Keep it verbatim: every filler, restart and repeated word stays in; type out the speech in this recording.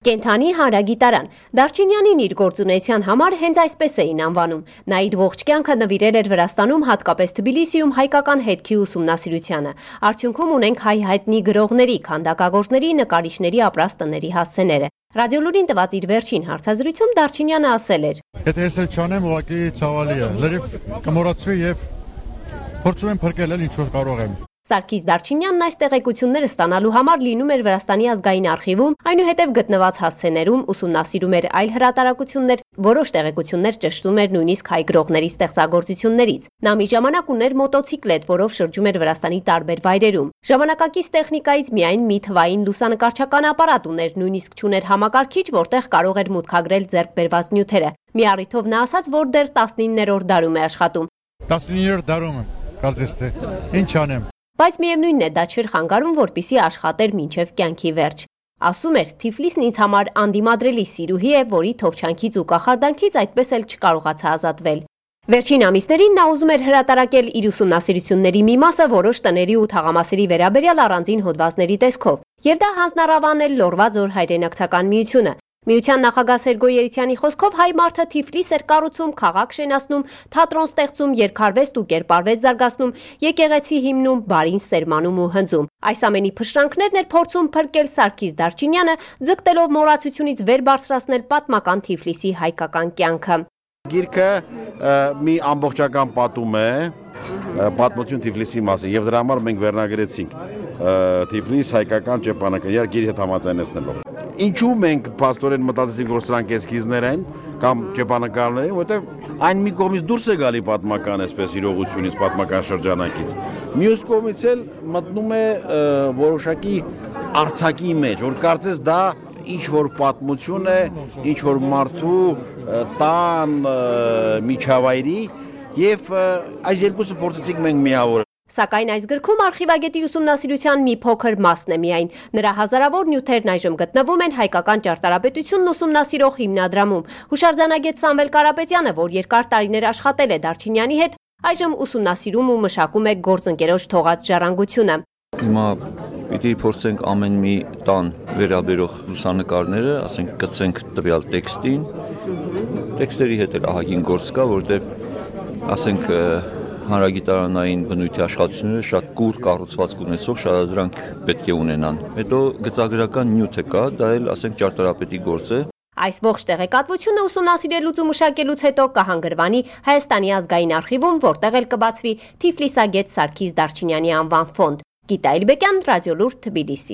Կենթանի հանրագիտարան։ Դարչինյանին իր գործունեության համար հենց այսպես էին անվանում։ Նա իր ողջ կյանքը նվիրել էր Վրաստանում, հատկապես Թբիլիսիում հայկական հետքի ուսումնասիրությանը։ Արդյունքում ունենք հայ հայտնի գրողների, քանդակագործների, նկարիչների ապրած տների հասցեները։ Ռադիոլուրին տված իր վերջին հարցազրույցում Դարչինյանը ասել էր. Եթե ես էլ չանեմ, ուղղակի ցավալի է։ Լրիվ կմոռացվի եւ փորձում եմ փրկել ինչ որ կարող եմ։ Սարգիս Դարչինյանն այս տեղեկությունները ստանալու համար լինում էր Վրաստանի ազգային արխիվում, այնուհետև գտնված հասցեներում, ուսումնասիրում էր այլ հրատարակություններ, որոշ տեղեկություններ ճշտում էր նույնիսկ հայ գրողների ստեղծագործություններից։ Նա մի ժամանակ ուներ մոտոցիկլետ, որով շրջում էր Վրաստանի տարբեր վայրերում։ Ժամանակակից տեխնիկայից միայն մի թվային լուսանկարչական ապարատ ուներ, նույնիսկ չուներ համակարգիչ, որտեղ կարող էր մուտքագրել ձեռք բերված նյութերը։ Մի առիթով նա ասաց, որ դեռ տասնիններորդ դարում է աշխատում։ տասնիններորդ դարում եմ, կարծես թե ինչ անեմ։ Բայց միևնույնն է, դա չէր խանգարում, որպեսզի աշխատեր մինչև կյանքի վերջ։ Ասում էր, Թիֆլիսն ինձ համար անդիմադրելի սիրուհի է, որի թովչանքից ու կախարդանքից այդպես էլ չկարողացա ազատվել։ Վերջին ամիսներին նա ուզում էր հրատարակել իր ուսումնասիրությունների մի մասը որոշ տների ու թաղամասերի վերաբերյալ առանձին հոդվածների տեսքով, եւ դա հանձնարարվել էր Լոռվա ձոր հայրենակցական միությունը։ Միության նախագահ Սերգո Երիցյանի խոսքով հայ մարդը Թիֆլիս էր կառուցում, քաղաք շենացնում, թատրոն ստեղծում, երգարվեստ ու կերպարվեստ զարգացնում, եկեղեցի հիմնում, բարին սերմանում ու հնձում։ Այս ամենի փշրանքներն էր փորձում փրկել Սարգիս Դարչինյանը, ձգտելով մոռացությունից վեր բարձրացնել պատմական Թիֆլիսի հայկական կյանքը։ Գիրքը մի ամբողջական պատում է, պատմություն Թիֆլիսի մասին, եւ դրա համար մենք վերնագրեցինք Թիֆլիս հայկական ճեպանակայար գիրի հետ համաձայնեցնելով։ Ինչու մենք փաստորեն մտածեցինք, որ սրանք էսքիզներ են կամ ճեպանակարներ են, որովհետև այն մի կողմից դուրս է գալի պատմական այսպես իրողությունից, պատմական շրջանակից։ Մյուս կողմից էլ մտնում է որոշակի արձակի մեջ, որ կարծես դա ինչ որ պատմություն է, ինչ որ մարդու տան միջավայրի եւ այս երկուսը փորձեցինք մենք միավորել։ Սակայն այս գրքում արխիվագետի ուսումնասիրության մի փոքր մասն է միայն։ Նրա հազարավոր նյութերն այժմ գտնվում են հայկական ճարտարապետությունն ուսումնասիրող հիմնադրամում։ Հուշարձանագետ Սամվել Կարապետյանը, որ երկար տարիներ աշխատել է Դարչինյանի հետ, այժմ ուսումնասիրում ու մշակում է գործընկերոջ թողած ժառանգությունը։ Հիմա պիտի փորձենք ամեն մի տան վերաբերող լուսանկարները, ասենք գցենք տվյալ տեքստին։ Տեքստերի հետ էլ ահագին գործ կա, որտեղ ասենք հանրագիտարանային բնույթի աշխատությունները շատ կուր կառուցվածք ունեցող շարադրանք պետք է ունենան։ Հետո գծագրական նյութը կա, դա էլ ասենք ճարտարապետի գործ է։ Այս ողջ տեղեկատվությունը ուսումնասիրելուց ու մշակելուց հետո կհանգրվանի Հայաստանի ազգային արխիվում, որտեղ էլ կբացվի Թիֆլիսագետ Սարգիս Դարչինյանի անվան ֆոնդ։ Գիտա Իլբեկյան, Ռադիոլուր, Թբիլիսի։